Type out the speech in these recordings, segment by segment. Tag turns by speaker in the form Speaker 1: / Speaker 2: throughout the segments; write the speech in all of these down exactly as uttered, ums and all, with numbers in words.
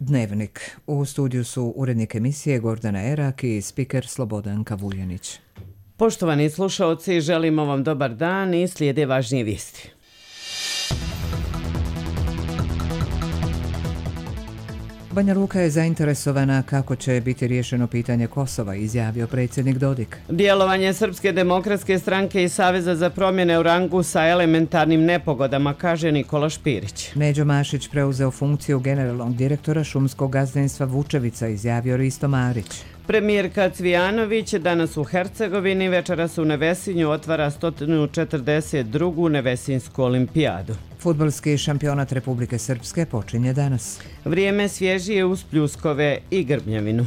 Speaker 1: Dnevnik. U studiju su urednik emisije Gordana Erak i spiker Slobodan Kavuljanić.
Speaker 2: Poštovani slušaoci, želimo vam dobar dan i slijede važnije vijesti.
Speaker 1: Banja Luka je zainteresovana kako će biti riješeno pitanje Kosova, izjavio predsjednik Dodik.
Speaker 2: Djelovanje Srpske demokratske stranke i Saveza za promjene u rangu sa elementarnim nepogodama, kaže Nikola Špirić.
Speaker 1: Neđo Mašić preuzeo funkciju generalnog direktora šumskog gazdinstva Vučevica, izjavio Risto Marić.
Speaker 2: Premijerka Cvijanović danas u Hercegovini, večeras u Nevesinju otvara sto četrdeset drugu Nevesinsku olimpijadu.
Speaker 1: Fudbalski šampionat Republike Srpske počinje danas.
Speaker 2: Vrijeme svježije uz pljuskove i grmljavinu.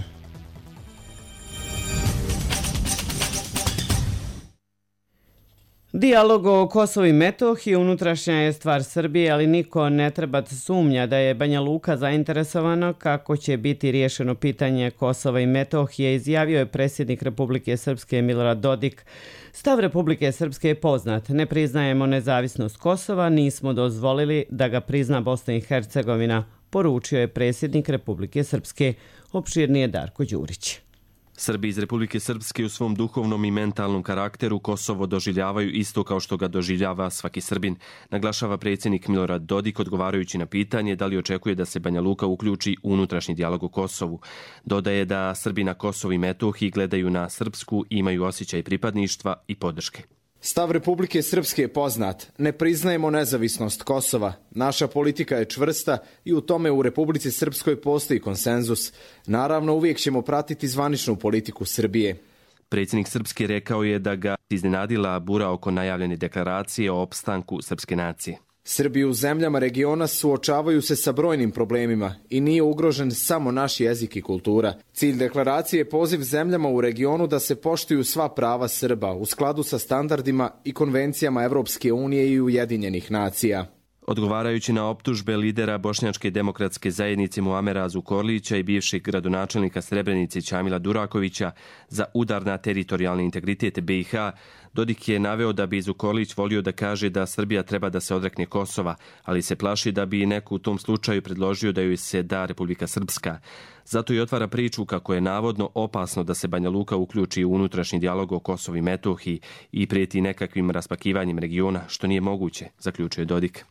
Speaker 2: Dijalog o Kosovu i Metohiji unutrašnja je stvar Srbije, ali niko ne treba sumnja da je Banja Luka zainteresovana kako će biti riješeno pitanje Kosova i Metohije, izjavio je predsjednik Republike Srpske Milorad Dodik. Stav Republike Srpske je poznat. Ne priznajemo nezavisnost Kosova, nismo dozvolili da ga prizna Bosna i Hercegovina, poručio je predsjednik Republike Srpske. Opširnije Darko Đurić.
Speaker 3: Srbi iz Republike Srpske u svom duhovnom i mentalnom karakteru Kosovo doživljavaju isto kao što ga doživljava svaki Srbin, naglašava predsjednik Milorad Dodik odgovarajući na pitanje da li očekuje da se Banja Luka uključi u unutrašnji dijalog o Kosovu. Dodaje da Srbi na Kosovu i Metohiji gledaju na Srpsku, imaju osjećaj pripadništva i podrške.
Speaker 4: Stav Republike Srpske je poznat. Ne priznajemo nezavisnost Kosova. Naša politika je čvrsta i u tome u Republici Srpskoj postoji konsenzus. Naravno, uvijek ćemo pratiti zvaničnu politiku Srbije.
Speaker 3: Predsjednik Srpske rekao je da ga iznenadila bura oko najavljene deklaracije o opstanku srpske nacije.
Speaker 4: Srbi u zemljama regiona suočavaju se sa brojnim problemima i nije ugrožen samo naš jezik i kultura. Cilj deklaracije je poziv zemljama u regionu da se poštuju sva prava Srba u skladu sa standardima i konvencijama Evropske unije i Ujedinjenih nacija.
Speaker 3: Odgovarajući na optužbe lidera Bošnjačke demokratske zajednice Muamera Zukorlića i bivšeg gradonačelnika Srebrenice Ćamila Durakovića za udar na teritorijalni integritet B i H, Dodik je naveo da bi Zukorlić volio da kaže da Srbija treba da se odrekne Kosova, ali se plaši da bi neko u tom slučaju predložio da joj se da Republika Srpska. Zato i otvara priču kako je navodno opasno da se Banja Luka uključi u unutrašnji dijalog o Kosovu i Metohiji i prijeti nekakvim raspakivanjem regiona, što nije moguće, zaključuje Dodik.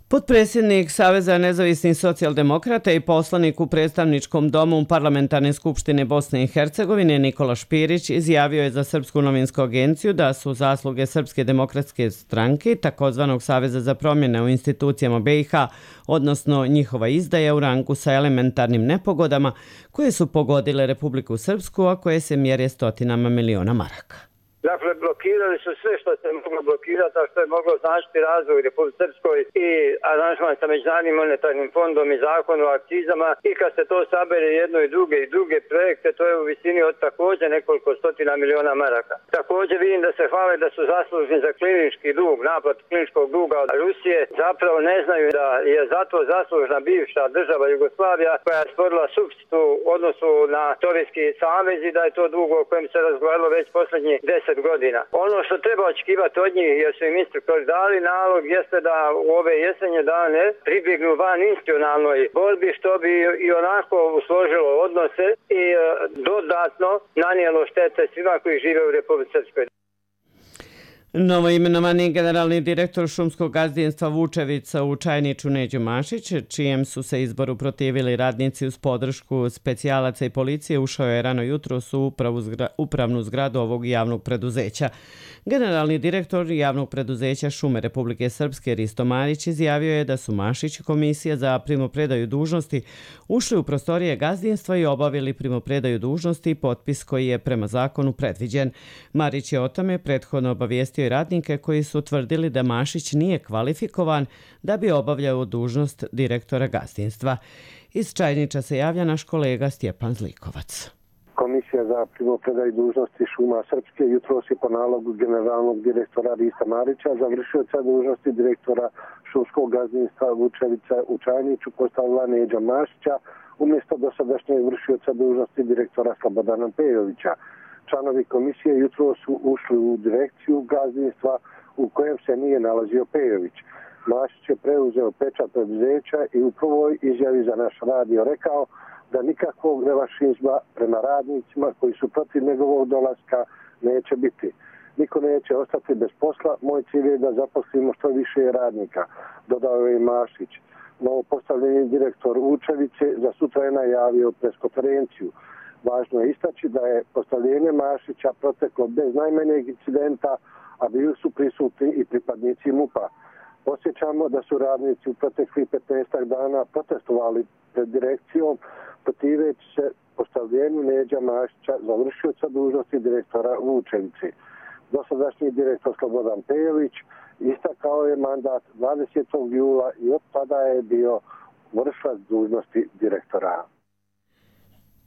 Speaker 2: Potpredsjednik Saveza nezavisnih socijaldemokrata i poslanik u predstavničkom domu Parlamentarne skupštine Bosne i Hercegovine Nikola Špirić izjavio je za Srpsku novinsku agenciju da su zasluge Srpske demokratske stranke, takozvanog Saveza za promjene u institucijama B i H, odnosno njihova izdaja u rangu sa elementarnim nepogodama koje su pogodile Republiku Srpsku, a koje se mjere stotinama miliona maraka.
Speaker 5: Dakle, blokirali su sve što se moglo blokirati, a što je moglo značiti razvoj u Republici Srpskoj i aranžman sa Međunarodnim monetarnim fondom i zakon o akcizama. I kad se to sabere jedno i druge i druge projekte, to je u visini od također nekoliko stotina miliona maraka. Također vidim da se hvale da su zaslužni za klinički dug, naplat kliničkog duga od Rusije. Zapravo ne znaju da je zato zaslužna bivša država Jugoslavija koja je stvorila supstitu u odnosu na Sovjetski savez i da je to dug o kojem se razgovaralo već posljednji deset godina. Ono što treba očekivati od njih, jer su im instruktori dali nalog, jeste da u ove jesenje dane pribjegnu van institucionalnoj borbi, što bi i onako usložilo odnose i e, dodatno nanijelo štete svima koji žive u Republici Srpskoj.
Speaker 2: Novoimenovani generalni direktor šumskog gazdinstva Vučevica u Čajniču Neđo Mašić, čijem su se izboru protivili radnici uz podršku specijalaca i policije, ušao je rano jutros u upravu zgra, upravnu zgradu ovog javnog preduzeća. Generalni direktor javnog preduzeća Šume Republike Srpske Risto Marić izjavio je da su Mašić i komisija za primopredaju dužnosti ušli u prostorije gazdinstva i obavili primopredaju dužnosti i potpis koji je prema zakonu predviđen. Marić je o tome prethodno obavijestio i radnike koji su tvrdili da Mašić nije kvalifikovan da bi obavljao dužnost direktora gazdinstva. Iz Čajniča se javlja naš kolega Stjepan Zlikovac.
Speaker 6: Komisija za primopredaju dužnosti Šuma Srpske jutros je po nalogu generalnog direktora Rista Marića završioca dužnosti direktora šumskog gazdinstva Vučevica u Čajniću postavila Neđa Mašića umjesto dosadašnjeg vršioca dužnosti direktora Slobodana Pejovića. Članovi komisije jutro su ušli u direkciju gazdinstva u kojem se nije nalazio Pejović. Mašić je preuzeo pečat preduzeća i u prvoj izjavi za naš radio rekao da nikakvog revanšizma prema radnicima koji su protiv njegovog dolaska neće biti. Niko neće ostati bez posla, moj cilj je da zaposlimo što više radnika, dodao je i Mašić. Novo postavljeni direktor Vučevice za sutra je najavio preskonferenciju. Važno je istaći da je postavljenje Mašića proteklo bez najmanjeg incidenta, a bili su prisutni i pripadnici MUP-a. Posjećamo da su radnici u proteklih petnaest dana protestovali pred direkcijom protiveći se postavljenju Neđa Mašića za vršioca dužnosti direktora Vučevice. Dosadašnji direktor Slobodan Pejović istakao je mandat dvadesetog jula i od tada je bio vršilac dužnosti direktora.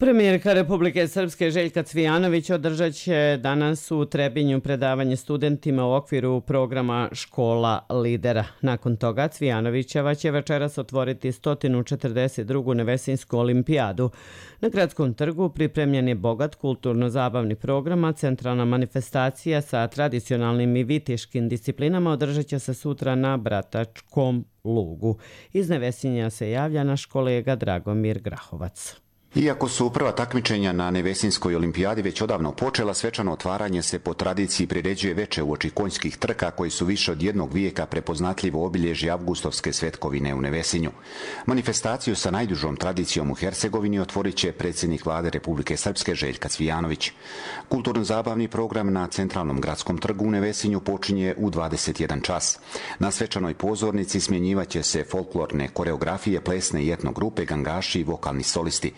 Speaker 2: Premijerka Republike Srpske Željka Cvijanović održat će danas u Trebinju predavanje studentima u okviru programa Škola lidera. Nakon toga Cvijanovićeva će večeras otvoriti sto četrdeset drugu Nevesinsku olimpijadu. Na Gradskom trgu pripremljen je bogat kulturno-zabavni program, a centralna manifestacija sa tradicionalnim i viteškim disciplinama održat će se sutra na Bratačkom lugu. Iz Nevesinja se javlja naš kolega Dragomir Grahovac.
Speaker 7: Iako su prva takmičenja na Nevesinskoj olimpijadi već odavno počela, svečano otvaranje se po tradiciji priređuje veče uoči konjskih trka koji su više od jednog vijeka prepoznatljivo obilježje avgustovske svetkovine u Nevesinju. Manifestaciju sa najdužom tradicijom u Hercegovini otvorit će predsjednik vlade Republike Srpske Željka Cvijanović. Kulturno-zabavni program na centralnom gradskom trgu u Nevesinju počinje u dvadeset jedan čas. Na svečanoj pozornici smjenjivaće se folklorne koreografije, plesne i etno grupe, gangaši i vokalni solisti.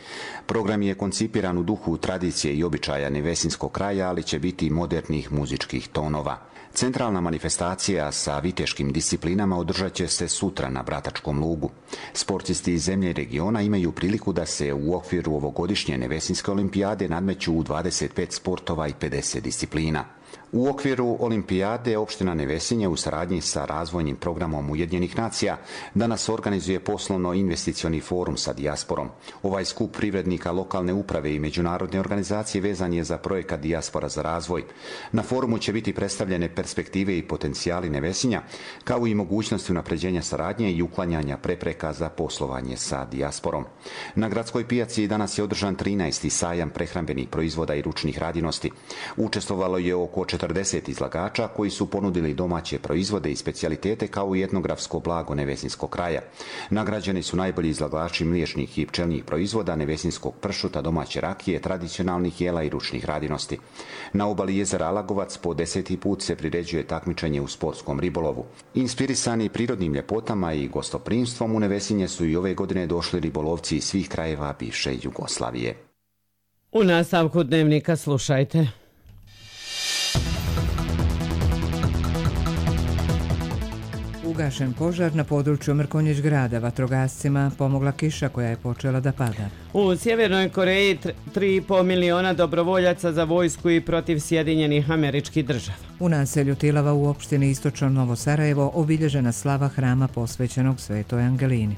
Speaker 7: Program je koncipiran u duhu tradicije i običaja nevesinskog kraja, ali će biti modernih muzičkih tonova. Centralna manifestacija sa viteškim disciplinama održat će se sutra na Bratačkom lugu. Sportisti iz zemlje i regiona imaju priliku da se u okviru ovogodišnje Nevesinske olimpijade nadmeću u dvadeset pet sportova i pedeset disciplina. U okviru olimpijade opština Nevesinje u saradnji sa razvojnim programom Ujedinjenih nacija danas organizuje poslovno-investicioni forum sa dijasporom. Ovaj skup privrednika lokalne uprave i međunarodne organizacije vezan je za projekat Dijaspora za razvoj. Na forumu će biti predstavljene perspektive i potencijali Nevesinja, kao i mogućnosti unapređenja saradnje i uklanjanja prepreka za poslovanje sa dijasporom. Na gradskoj pijaci danas je održan trinaesti sajam prehrambenih proizvoda i ručnih radinosti. Učestvovalo je oko četrdeset izlagača koji su ponudili domaće proizvode i specijalitete kao i etnografsko blago Nevesinskog kraja. Nagrađeni su najbolji izlagači mliječnih i pčelnih proizvoda, nevesinskog pršuta, domaće rakije, tradicionalnih jela i ručnih radinosti. Na obali jezera Alagovac po deseti put se priređuje takmičenje u sportskom ribolovu. Inspirisani prirodnim ljepotama i gostoprimstvom u Nevesinje su i ove godine došli ribolovci iz svih krajeva bivše Jugoslavije.
Speaker 2: U nastavku dnevnika slušajte.
Speaker 1: Ugašen požar na području Mrkonjić grada. Vatrogascima pomogla kiša koja je počela da pada.
Speaker 2: U Sjevernoj Koreji tri i pol miliona dobrovoljaca za vojsku i protiv Sjedinjenih Američkih Država.
Speaker 1: U naselju Tilava u opštini Istočno Novo Sarajevo obilježena slava hrama posvećenog Svetoj Angelini.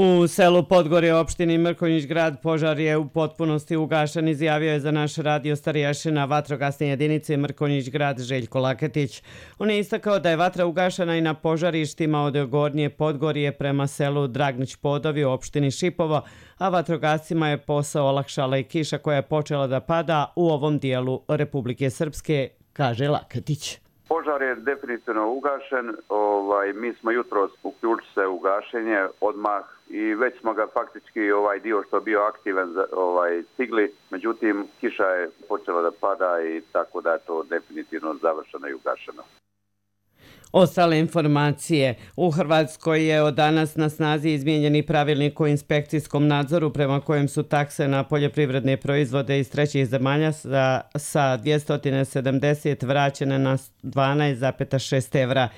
Speaker 2: U selu Podgorje opštini Mrkonjić grad požar je u potpunosti ugašen, izjavio je za naš radio starješina vatrogasne jedinice Mrkonjić grad Željko Laketić. On je istakao da je vatra ugašena i na požarištima od Gornje Podgorje prema selu Dragnić Podovi u opštini Šipovo, a vatrogascima je posao olakšala i kiša koja je počela da pada u ovom dijelu Republike Srpske, kaže Laketić.
Speaker 8: Požar je definitivno ugašen, ovaj, mi smo jutros uključili se u gašenje odmah i već smo ga faktički ovaj dio što je bio aktivan ovaj, stigli, međutim kiša je počela da pada i tako da je to definitivno završeno i ugašeno.
Speaker 2: Ostale informacije. U Hrvatskoj je od danas na snazi izmijenjeni pravilnik o inspekcijskom nadzoru prema kojem su takse na poljoprivredne proizvode iz trećih zemalja sa, sa dvjesto sedamdeset vraćene na dvanaest zarez šest evra.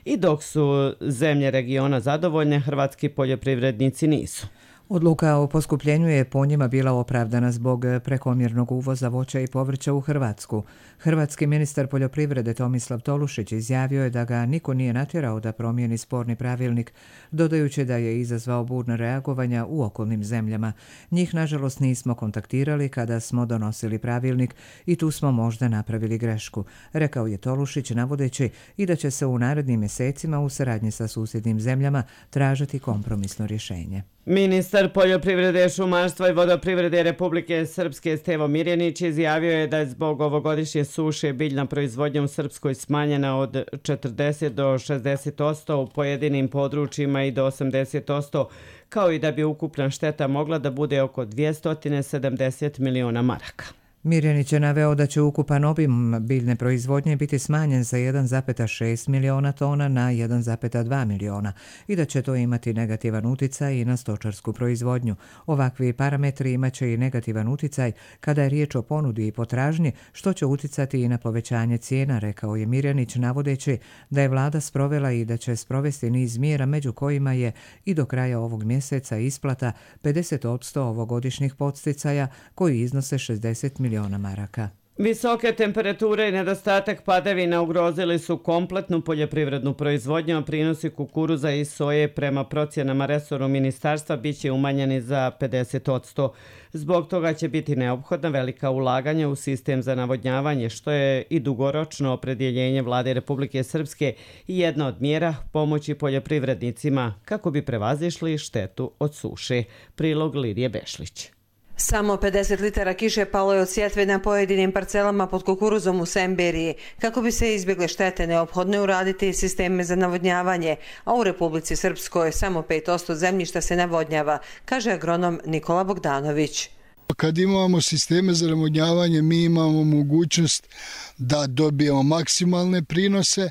Speaker 2: I dok su zemlje regiona zadovoljne, hrvatski poljoprivrednici nisu.
Speaker 1: Odluka o poskupljenju je po njima bila opravdana zbog prekomjernog uvoza voća i povrća u Hrvatsku. Hrvatski ministar poljoprivrede Tomislav Tolušić izjavio je da ga niko nije natjerao da promijeni sporni pravilnik, dodajući da je izazvao burna reagovanja u okolnim zemljama. Njih, nažalost, nismo kontaktirali kada smo donosili pravilnik i tu smo možda napravili grešku, rekao je Tolušić, navodeći i da će se u narednim mjesecima u saradnji sa susjednim zemljama tražiti kompromisno rješenje.
Speaker 2: Ministar poljoprivrede, šumarstva i vodoprivrede Republike Srpske Stevo Mirjanić izjavio je da je zbog ovogodišnje suše biljna proizvodnja u Srpskoj smanjena od četrdeset do šezdeset posto u pojedinim područjima i do osamdeset posto, kao i da bi ukupna šteta mogla da bude oko dvjesto sedamdeset miliona maraka.
Speaker 1: Mirjanić je naveo da će ukupan obim biljne proizvodnje biti smanjen sa jedan zarez šest miliona tona na jedan zarez dva miliona i da će to imati negativan uticaj i na stočarsku proizvodnju. Ovakvi parametri imaće i negativan uticaj kada je riječ o ponudi i potražnji, što će uticati i na povećanje cijena, rekao je Mirjanić, navodeći da je vlada sprovela i da će sprovesti niz mjera, među kojima je i do kraja ovog mjeseca isplata pedeset posto ovogodišnjih podsticaja koji iznose šezdeset miliona maraka.
Speaker 2: Visoke temperature i nedostatak padavina ugrozili su kompletnu poljoprivrednu proizvodnju, a prinosi kukuruza i soje prema procjenama resornog ministarstva biće umanjeni za pedeset posto. Zbog toga će biti neophodna velika ulaganja u sistem za navodnjavanje, što je i dugoročno opredjeljenje vlade Republike Srpske i jedna od mjera pomoći poljoprivrednicima kako bi prevazišli štetu od suše. Prilog Lidije Bešlić.
Speaker 9: Samo pedeset litara kiše palo je od sjetve na pojedinim parcelama pod kukuruzom u Semberiji. Kako bi se izbjegle štete, neophodno je uraditi sisteme za navodnjavanje, a u Republici Srpskoj samo pet posto zemljišta se navodnjava, kaže agronom Nikola Bogdanović.
Speaker 10: Kad imamo sisteme za navodnjavanje, mi imamo mogućnost da dobijemo maksimalne prinose.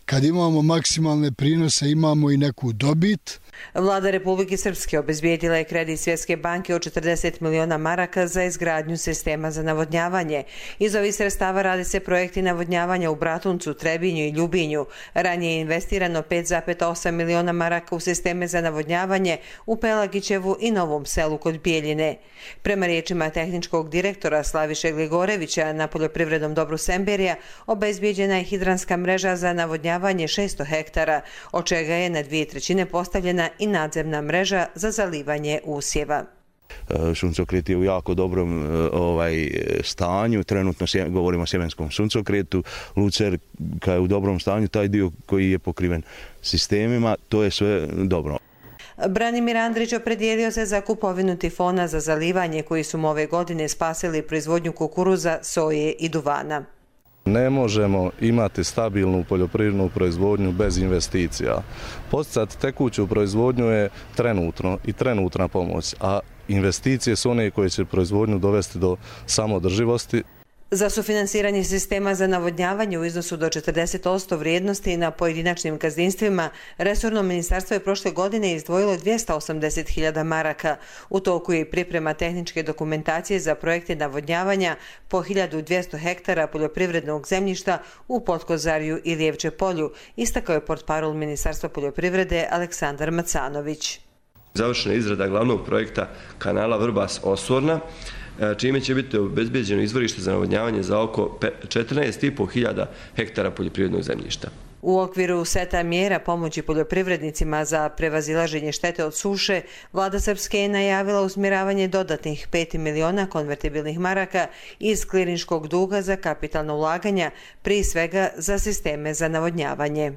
Speaker 10: Kad imamo maksimalne prinose, imamo i neku dobit.
Speaker 9: Vlada Republike Srpske obezbijedila je kredit Svjetske banke od četrdeset miliona maraka za izgradnju sistema za navodnjavanje. Iz ovih sredstava rade se projekti navodnjavanja u Bratuncu, Trebinju i Ljubinju. Ranije je investirano pet zarez osam miliona maraka u sisteme za navodnjavanje u Pelagićevu i Novom Selu kod Bijeljine. Prema riječima tehničkog direktora Slaviše Gligorevića na poljoprivrednom dobru Semberija, obezbijeđena je hidranska mreža za navodnjavanje šesto hektara, od čega je na dvije trećine postavljena i nadzemna mreža za zalivanje usjeva.
Speaker 11: Suncokret je u jako dobrom ovaj, stanju, trenutno sje, govorimo o sjemenskom suncokretu, lucerka je u dobrom stanju, taj dio koji je pokriven sistemima, to je sve dobro.
Speaker 9: Branimir Andrić opredijelio se za kupovinu tifona za zalivanje koji su mu ove godine spasili proizvodnju kukuruza, soje i duvana.
Speaker 12: Ne možemo imati stabilnu poljoprivrednu proizvodnju bez investicija. Podsticati tekuću proizvodnju je trenutno i trenutna pomoć, a investicije su one koje će proizvodnju dovesti do samoodrživosti.
Speaker 9: Za sufinansiranje sistema za navodnjavanje u iznosu do četrdeset posto vrijednosti na pojedinačnim gazdinstvima, resorno ministarstvo je prošle godine izdvojilo dvjesto osamdeset hiljada maraka. U toku je priprema tehničke dokumentacije za projekte navodnjavanja po hiljadu dvjesto hektara poljoprivrednog zemljišta u Potkozarju i Lijevče polju, istakao je portparol Ministarstva poljoprivrede Aleksandar Macanović.
Speaker 13: Završena izrada glavnog projekta kanala Vrbas-Osorna, čime će biti obezbeđeno izvorište za navodnjavanje za oko četrnaest i pol hiljada hektara poljoprivrednog zemljišta.
Speaker 9: U okviru seta mjera pomoći poljoprivrednicima za prevazilaženje štete od suše, vlada Srpske je najavila usmjeravanje dodatnih pet miliona konvertibilnih maraka iz klirinškog duga za kapitalno ulaganja, prije svega za sisteme za navodnjavanje.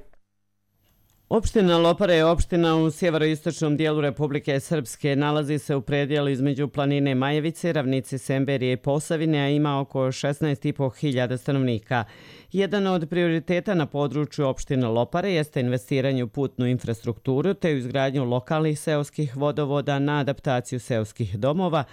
Speaker 2: Opština Lopara je opština u sjeveroistočnom dijelu Republike Srpske. Nalazi se u predjelu između planine Majevice, ravnice Semberije i Posavine, a ima oko šesnaest i pol hiljada stanovnika. Jedan od prioriteta na području opštine Lopare jeste investiranje u putnu infrastrukturu te u izgradnju lokalnih seoskih vodovoda na adaptaciju seoskih domova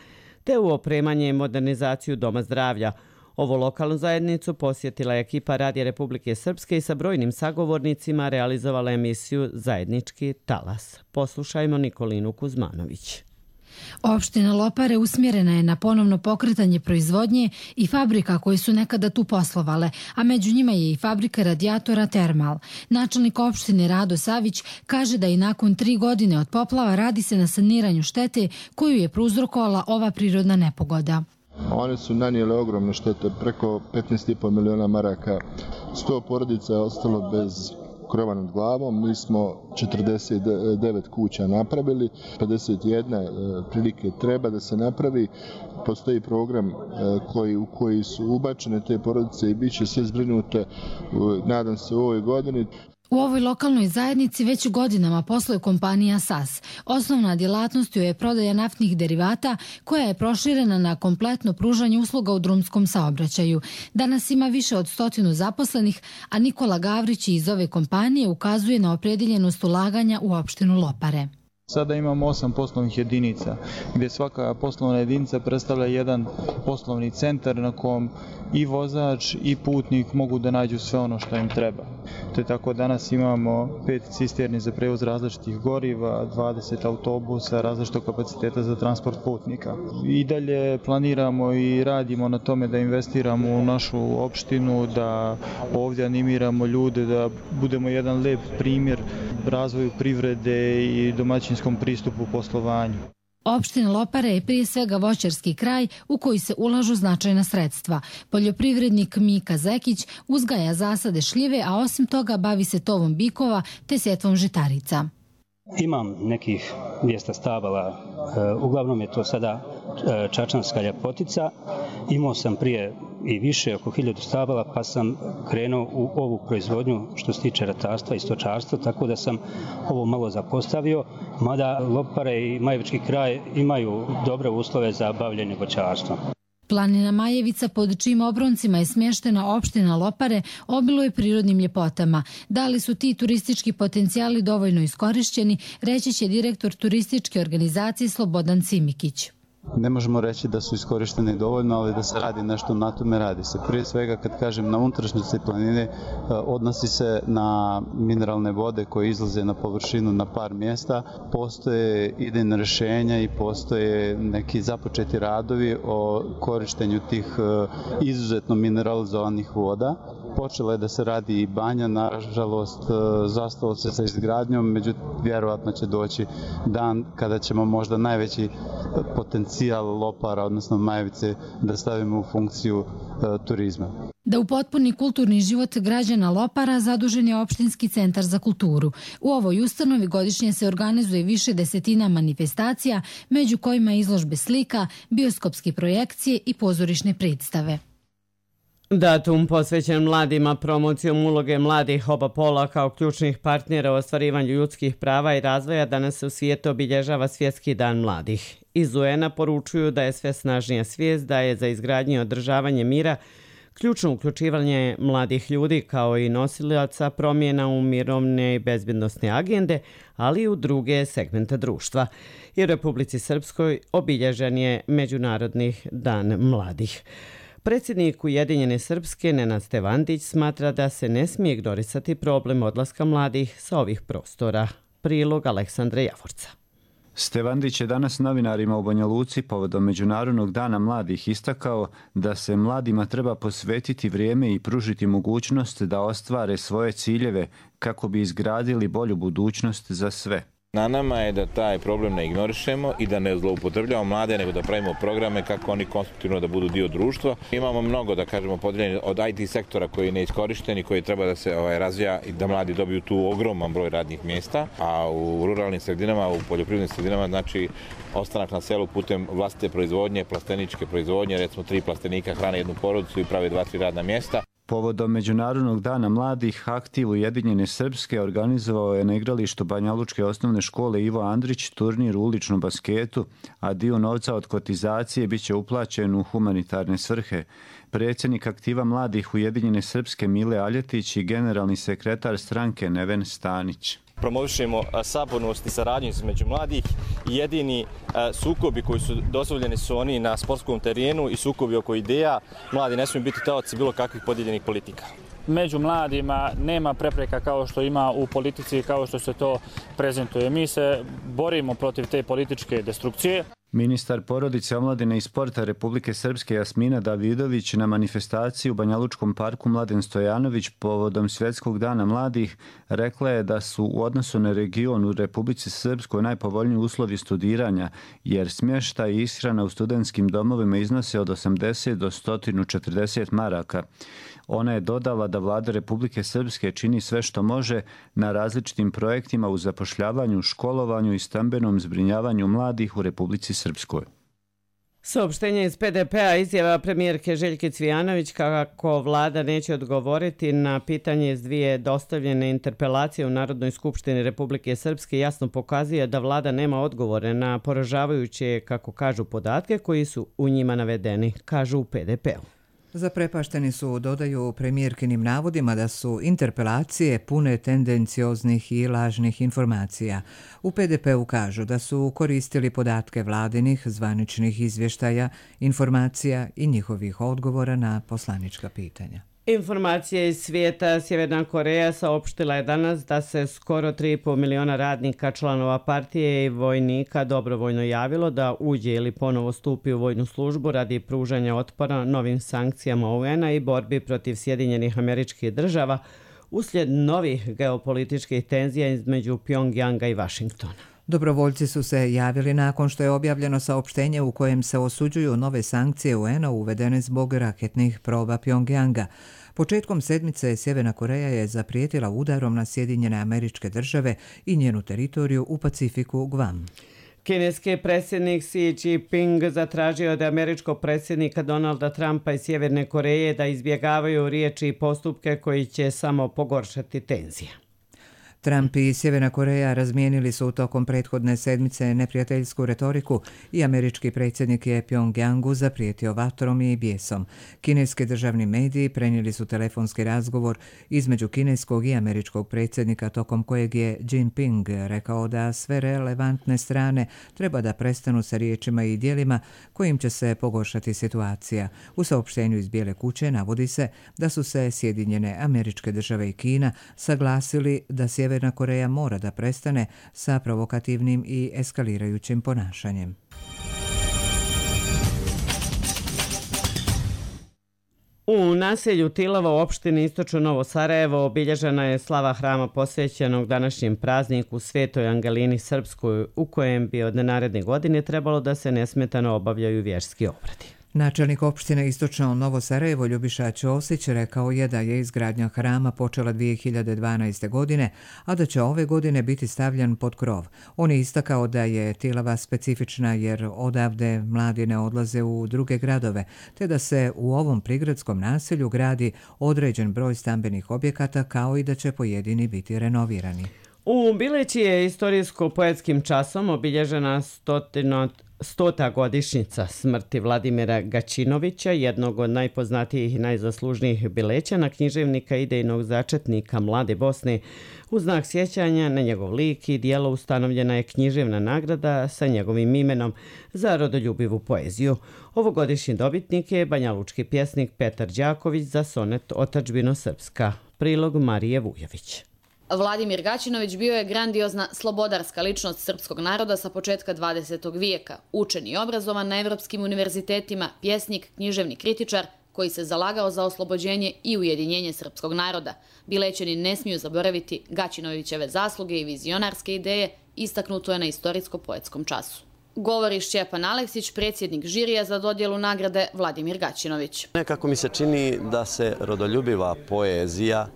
Speaker 2: te u opremanje i modernizaciju doma zdravlja. Ovu lokalnu zajednicu posjetila je ekipa Radija Republike Srpske i sa brojnim sagovornicima realizovala emisiju Zajednički talas. Poslušajmo Nikolinu Kuzmanović.
Speaker 14: Opština Lopare usmjerena je na ponovno pokretanje proizvodnje i fabrika koje su nekada tu poslovale, a među njima je i fabrika radijatora Termal. Načelnik opštine Rado Savić kaže da i nakon tri godine od poplava radi se na saniranju štete koju je prouzrokovala ova prirodna nepogoda.
Speaker 15: One su nanijele ogromne štete, preko petnaest i po miliona maraka. sto porodica je ostalo bez krova nad glavom. Mi smo četrdeset devet kuća napravili, pedeset jedna prilike treba da se napravi. Postoji program koji, u koji su ubačene te porodice i bit će sve zbrinute, nadam se, u ovoj godini.
Speaker 14: U ovoj lokalnoj zajednici već godinama posluje kompanija S A S. Osnovna djelatnost joj je prodaja naftnih derivata koja je proširena na kompletno pružanje usluga u drumskom saobraćaju. Danas ima više od stotinu zaposlenih, a Nikola Gavrić iz ove kompanije ukazuje na opredjeljenost ulaganja u opštinu Lopare.
Speaker 16: Sada imamo osam poslovnih jedinica, gdje svaka poslovna jedinica predstavlja jedan poslovni centar na kom i vozač i putnik mogu da nađu sve ono što im treba. Te tako danas imamo pet cisterni za prevoz različitih goriva, dvadeset autobusa, različitog kapaciteta za transport putnika. I dalje planiramo i radimo na tome da investiramo u našu opštinu, da ovdje animiramo ljude, da budemo jedan lep primjer razvoju privrede i domaćinskom pristupu poslovanju.
Speaker 14: Opština Lopare je prije svega voćarski kraj u koji se ulažu značajna sredstva. Poljoprivrednik Mika Zekić uzgaja zasade šljive, a osim toga bavi se tovom bikova te setvom žitarica.
Speaker 17: Imam nekih dvjesto stabala, uglavnom je to sada čačanska ljepotica. Imao sam prije i više, oko hiljadu stabala, pa sam krenuo u ovu proizvodnju što se tiče ratarstva i stočarstva, tako da sam ovo malo zapostavio, mada Lopare i Majevički kraj imaju dobre uslove za bavljenje voćarstvom.
Speaker 14: Planina Majevica, pod čijim obroncima je smještena opština Lopare, obiluje prirodnim ljepotama. Da li su ti turistički potencijali dovoljno iskorišćeni, reći će direktor turističke organizacije Slobodan Cimikić.
Speaker 18: Ne možemo reći da su iskorišteni dovoljno, ali da se radi nešto na tome, radi se. Prije svega, kad kažem na unutrašnjosti planine, odnosi se na mineralne vode koje izlaze na površinu na par mjesta. Postoje idejna rješenja i postoje neki započeti radovi o korištenju tih izuzetno mineralizovanih voda. Počela je da se radi i banja, nažalost zastalo se sa izgradnjom, međutim vjerovatno će doći dan kada ćemo možda najveći potencijal Lopara, odnosno Majevice, da stavimo u funkciju e, turizma.
Speaker 14: Da upotpuni kulturni život građana Lopara zadužen je opštinski centar za kulturu. U ovoj ustanovi godišnje se organizuje više desetina manifestacija, među kojima izložbe slika, bioskopske projekcije i pozorišne predstave.
Speaker 2: Datum posvećen mladima promocijom uloge mladih oba pola kao ključnih partnera u ostvarivanju ljudskih prava i razvoja danas se u svijetu obilježava Svjetski dan mladih. Iz U N-a poručuju da je sve snažnija svijest da je za izgradnju i održavanje mira ključno uključivanje mladih ljudi kao i nosilaca promjena u mirovne i bezbjednostne agende, ali i u druge segmente društva. I u Republici Srpskoj obilježen je Međunarodni dan mladih. Predsjednik Ujedinjene Srpske Nenad Stevandić smatra da se ne smije ignorisati problem odlaska mladih sa ovih prostora. Prilog Aleksandra Javorca.
Speaker 19: Stevandić je danas novinarima u Banja Luci povodom Međunarodnog dana mladih istakao da se mladima treba posvetiti vrijeme i pružiti mogućnost da ostvare svoje ciljeve kako bi izgradili bolju budućnost za sve.
Speaker 20: Na nama je da taj problem ne ignorišemo i da ne zloupotrebljavamo mlade, nego da pravimo programe kako oni konstruktivno da budu dio društva. Imamo mnogo, da kažemo, podijeljeni od I T sektora koji je neiskorišten i koji treba da se ovaj, razvija i da mladi dobiju tu ogroman broj radnih mjesta, a u ruralnim sredinama, u poljoprivrednim sredinama, znači ostanak na selu putem vlastite proizvodnje, plasteničke proizvodnje, recimo tri plastenika hrane jednu porodicu i prave dva, tri radna mjesta.
Speaker 19: Povodom Međunarodnog dana mladih, aktiv Ujedinjene Srpske organizovao je na igralištu Banja Lučke osnovne škole Ivo Andrić turnir u uličnom basketu, a dio novca od kotizacije bit će uplaćen u humanitarne svrhe. Predsjednik aktiva mladih Ujedinjene Srpske Mile Aljetić i generalni sekretar stranke Neven Stanić.
Speaker 21: Promovišemo sabornost i saradnju između mladih i jedini sukobi koji su dozvoljeni su oni na sportskom terenu i sukobi oko ideja. Mladi ne smiju biti taoci bilo kakvih podijeljenih politika.
Speaker 22: Među mladima nema prepreka kao što ima u politici, kao što se to prezentuje. Mi se borimo protiv te političke destrukcije.
Speaker 19: Ministar porodice, omladine i sporta Republike Srpske Jasmina Davidović na manifestaciji u Banjalučkom parku Mladen Stojanović povodom Svjetskog dana mladih rekla je da su u odnosu na region u Republici Srpskoj najpovoljniji uslovi studiranja, jer smještaj i ishrana u studentskim domovima iznose od osamdeset do sto četrdeset maraka. Ona je dodala da vlada Republike Srpske čini sve što može na različitim projektima u zapošljavanju, školovanju i stambenom zbrinjavanju mladih u Republici Srpskoj.
Speaker 2: Saopštenje iz P D P-a izjava premijerke Željke Cvijanović kako vlada neće odgovoriti na pitanje iz dvije dostavljene interpelacije u Narodnoj skupštini Republike Srpske jasno pokazuje da vlada nema odgovore na poražavajuće, kako kažu, podatke koji su u njima navedeni, kažu u P D P-u.
Speaker 1: Zaprepašteni su, dodaju, premijerkinim navodima da su interpelacije pune tendencioznih i lažnih informacija. U P D P-u kažu da su koristili podatke vladinih, zvaničnih izvještaja, informacija i njihovih odgovora na poslanička pitanja.
Speaker 2: Informacije iz svijeta. Sjeverna Koreja saopštila je danas da se skoro tri i pol miliona radnika, članova partije i vojnika dobrovoljno javilo da uđe ili ponovo stupi u vojnu službu radi pružanja otpora novim sankcijama U N-a i borbi protiv Sjedinjenih Američkih Država uslijed novih geopolitičkih tenzija između Pjongjanga i Vašingtona.
Speaker 1: Dobrovoljci su se javili nakon što je objavljeno saopštenje u kojem se osuđuju nove sankcije U N-a uvedene zbog raketnih proba Pjongjanga. Početkom sedmice Sjeverna Koreja je zaprijetila udarom na Sjedinjene Američke Države i njenu teritoriju u Pacifiku Guam.
Speaker 2: Kineski predsjednik Xi Jinping zatražio od američkog predsjednika Donalda Trumpa i Sjeverne Koreje da izbjegavaju riječi i postupke koji će samo pogoršati tenzije.
Speaker 1: Trump i Sjeverna Koreja razmijenili su tokom prethodne sedmice neprijateljsku retoriku i američki predsjednik je Pjongjangu zaprijetio vatrom i bijesom. Kineski državni mediji prenijeli su telefonski razgovor između kineskog i američkog predsjednika tokom kojeg je Jinping rekao da sve relevantne strane treba da prestanu sa riječima i djelima kojim će se pogoršati situacija. U saopštenju iz Bijele kuće navodi se da su se Sjedinjene Američke Države i Kina saglasili da Sjeverna Koreja mora da prestane sa provokativnim i eskalirajućim ponašanjem.
Speaker 2: U naselju Tilova u opštini Istočno Novo Sarajevo obilježena je slava hrama posvećenog današnjem prazniku Svetoj Angelini Srpskoj, u kojem bi od naredne godine trebalo da se nesmetano obavljaju vjerski obredi.
Speaker 1: Načelnik opštine Istočno Novo Sarajevo Ljubiša Ćosić rekao je da je izgradnja hrama počela dvije hiljade dvanaeste. godine, a da će ove godine biti stavljen pod krov. On je istakao da je Tilava specifična jer odavde mladi ne odlaze u druge gradove, te da se u ovom prigradskom naselju gradi određen broj stambenih objekata kao i da će pojedini biti renovirani.
Speaker 2: U Bileći je istorijsko-poetskim časom obilježena stotino Stota godišnjica smrti Vladimira Gaćinovića, jednog od najpoznatijih i najzaslužnijih Bilećana, književnika i idejnog začetnika Mlade Bosne. U znak sjećanja na njegov lik i djelo ustanovljena je književna nagrada sa njegovim imenom za rodoljubivu poeziju. Ovogodišnji dobitnik je banjalučki pjesnik Petar Đaković za sonet Otadžbino Srpska. Prilog Marije Vujović.
Speaker 3: Vladimir Gaćinović bio je grandiozna slobodarska ličnost srpskog naroda sa početka dvadesetog vijeka, učen i obrazovan na evropskim univerzitetima, pjesnik, književni kritičar koji se zalagao za oslobođenje i ujedinjenje srpskog naroda. Bilećani ne smiju zaboraviti Gaćinovićeve zasluge i vizionarske ideje, istaknuto je na istorijsko-poetskom času. Govori Šćepan Aleksić, predsjednik žirija za dodjelu nagrade Vladimir Gaćinović.
Speaker 4: Nekako mi se čini da se rodoljubiva poezija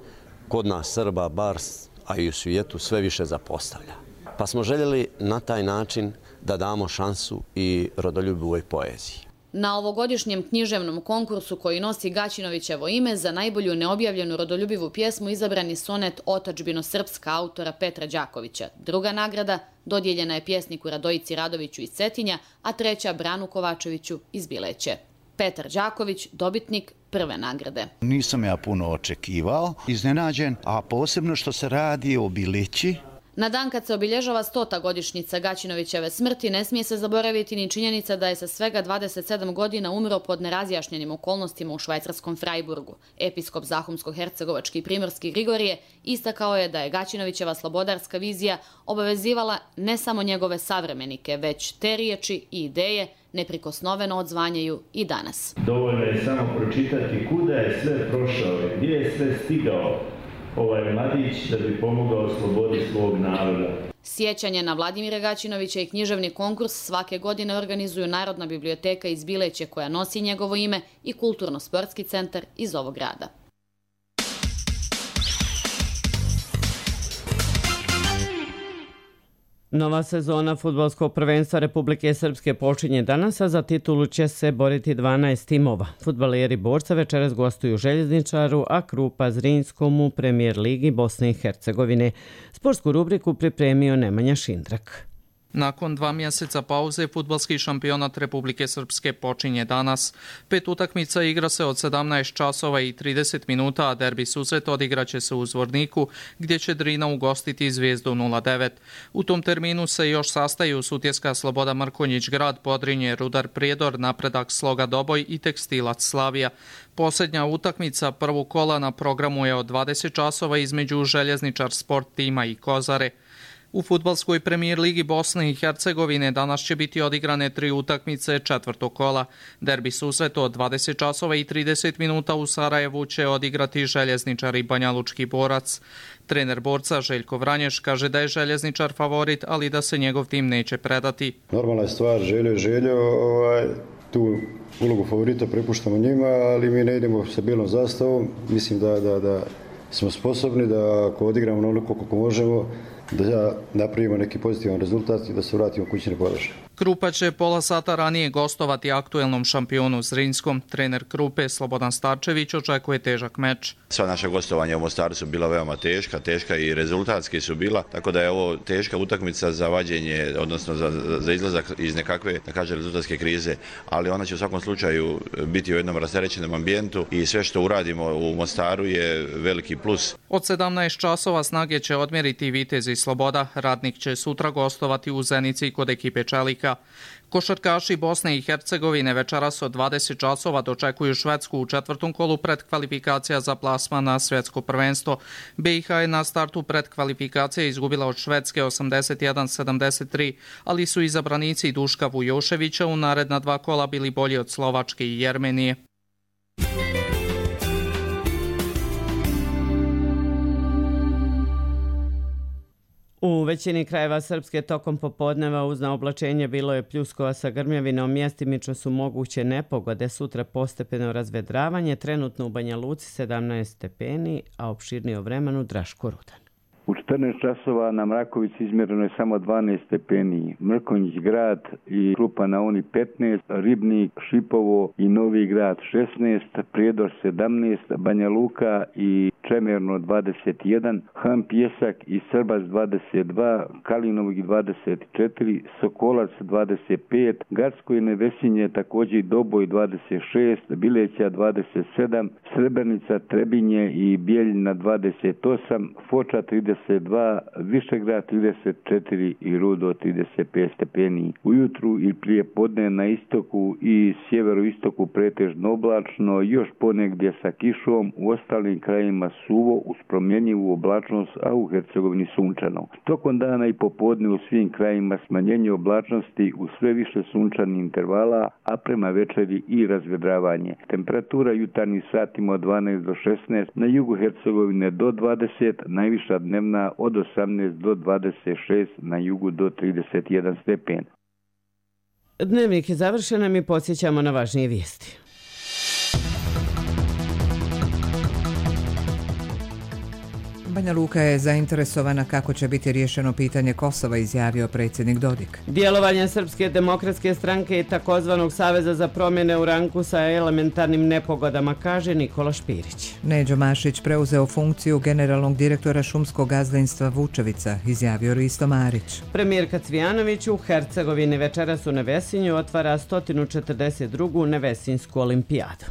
Speaker 4: kod nas Srba, bar, a i u svijetu, sve više zapostavlja. Pa smo željeli na taj način da damo šansu i rodoljubivoj poeziji.
Speaker 3: Na ovogodišnjem književnom konkursu koji nosi Gaćinovićevo ime za najbolju neobjavljenu rodoljubivu pjesmu izabrani sonet Otadžbino Srpska autora Petra Đakovića. Druga nagrada dodijeljena je pjesniku Radojici Radoviću iz Cetinja, a treća Branu Kovačeviću iz Bileće. Petar Đaković, dobitnik prve nagrade.
Speaker 23: Nisam ja puno očekivao, iznenađen, a posebno što se radi o Bileći.
Speaker 3: Na dan kad se obilježava stota godišnjica Gaćinovićeve smrti, ne smije se zaboraviti ni činjenica da je sa svega dvadeset sedam godina umro pod nerazjašnjenim okolnostima u švajcarskom Frajburgu. Episkop Zahumsko-hercegovački i primorski Grigorije istakao je da je Gaćinovićeva slobodarska vizija obavezivala ne samo njegove savremenike, već te riječi i ideje neprikosnoveno odzvanjaju i danas.
Speaker 5: Dovoljno je samo pročitati kuda je sve prošao, gdje je sve stigao ovaj mladić da bi pomogao slobodi svog naroda.
Speaker 3: Sjećanje na Vladimira Gaćinovića i književni konkurs svake godine organizuju Narodna biblioteka iz Bileće koja nosi njegovo ime i Kulturno-sportski centar iz ovog grada.
Speaker 2: Nova sezona fudbalskog prvenstva Republike Srpske počinje danas, a za titulu će se boriti dvanaest timova. Fudbaleri Borca večeras gostuju Željezničaru, a Krupa Zrinjskom u Premijer ligi Bosne i Hercegovine. Sportsku rubriku pripremio Nemanja Šindrak.
Speaker 6: Nakon dva mjeseca pauze, fudbalski šampionat Republike Srpske počinje danas. Pet utakmica igra se od sedamnaest časova i trideset minuta, a derbi susret odigraće se u Zvorniku, gdje će Drina ugostiti Zvijezdu nula devet. U tom terminu se još sastaju Sutjeska Sloboda Mrkonjić Grad, Podrinje, Rudar Prijedor, Napredak Sloga Doboj i Tekstilac Slavija. Posljednja utakmica prvog kola na programu je od dvadeset časova između Željezničar Sport tima i Kozare. U fudbalskoj premijer ligi Bosne i Hercegovine danas će biti odigrane tri utakmice četvrtog kola. Derbi susret od dvadeset časova i trideset minuta u Sarajevu će odigrati Željezničar i Banjalučki Borac. Trener Borca Željko Vranješ kaže da je Željezničar favorit, ali da se njegov tim neće predati.
Speaker 23: Normalna je stvar, Željo je Željo, ovaj, tu ulogu favorita prepuštamo njima, ali mi ne idemo sa bijelom zastavom. Mislim da, da, da smo sposobni da ako odigramo onoliko koliko možemo, da napravimo neki pozitivan rezultat i da se vratimo kućne podrške.
Speaker 6: Krupa će pola sata ranije gostovati aktuelnom šampionu Zrinjskom. Trener Krupe Slobodan Starčević očekuje težak meč.
Speaker 24: Sva naša gostovanja u Mostaru su bila veoma teška, teška i rezultatski su bila, tako da je ovo teška utakmica za vađenje, odnosno za, za izlazak iz nekakve, da kažem, rezultatske krize, ali ona će u svakom slučaju biti u jednom rasterećenom ambijentu i sve što uradimo u Mostaru je veliki plus.
Speaker 6: Od sedamnaest časova Snage će odmjeriti Vitez i Sloboda, Radnik će sutra gostovati u Zenici kod ekipe Čelika. Košarkaši Bosne i Hercegovine večeras od dvadeset časova dočekuju Švedsku u četvrtom kolu predkvalifikacija za plasman na svjetsko prvenstvo. B i H je na startu predkvalifikacije izgubila od Švedske osamdeset jedan sedamdeset tri, ali su izabranici Duška Vujoševića u naredna dva kola bili bolji od Slovačke i Jermenije.
Speaker 2: U većini krajeva Srpske tokom popodneva uz naoblačenje bilo je pljuskova sa grmljavinom, mjestimično su moguće nepogode, sutra postepeno razvedravanje, trenutno u Banja Luci sedamnaest stepeni, a opširnije o vremenu Draško Rudan.
Speaker 25: U četrnaest časova na Mrakovici izmjereno je samo dvanaest stepeni, Mrkonjić Grad i Krupa na Oni petnaest, Ribnik, Šipovo i Novi Grad šesnaest, Prijedor sedamnaest, Banja Luka i Čemerno dvadeset jedan, Han Pjesak i Srbac dvadeset dva, Kalinovog dvadeset četiri, Sokolac dvadeset pet, Garsko i Nevesinje također i Doboj dvadeset šest, Bileća dvadeset sedam, Srebrenica, Trebinje i Bijeljina dvadeset osam, Foča trideset dva, Višegrad trideset četiri i Rudo trideset pet stepeni. Ujutru i prije podne na istoku i sjeveroistoku pretežno oblačno, još ponegdje sa kišom, u ostalim krajima suvo uz promjenjivu oblačnost, a u Hercegovini sunčano. Tokom dana i popodne u svim krajima smanjenje oblačnosti u sve više sunčanih intervala, a prema večeri i razvedravanje. Temperatura jutarnjih satima od dvanaest do šesnaest, na jugu Hercegovine do dvadeset, najviša dnevna od osamnaest do dvadeset šest, na jugu do trideset jedan stepen.
Speaker 2: Dnevnik je završen, a mi podsjećamo na važnije vijesti.
Speaker 1: Banja Luka je zainteresovana kako će biti riješeno pitanje Kosova, izjavio predsjednik Dodik.
Speaker 2: Djelovanje Srpske demokratske stranke i takozvanog Saveza za promjene u ranku sa elementarnim nepogodama, kaže Nikola Špirić.
Speaker 1: Neđo Mašić preuzeo funkciju generalnog direktora šumskog gazdinstva Vučevica, izjavio Risto Marić.
Speaker 2: Premijerka Cvijanović u Hercegovini večeras u Nevesinju otvara sto četrdeset drugu Nevesinsku olimpijadu.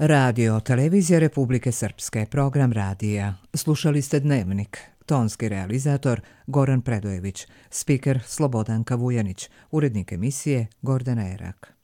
Speaker 1: Radio, televizija Republike Srpske, program radija. Slušali ste Dnevnik. tonski realizator Goran Predojević, spiker Slobodanka Vujanić, urednik emisije Gordana Erak.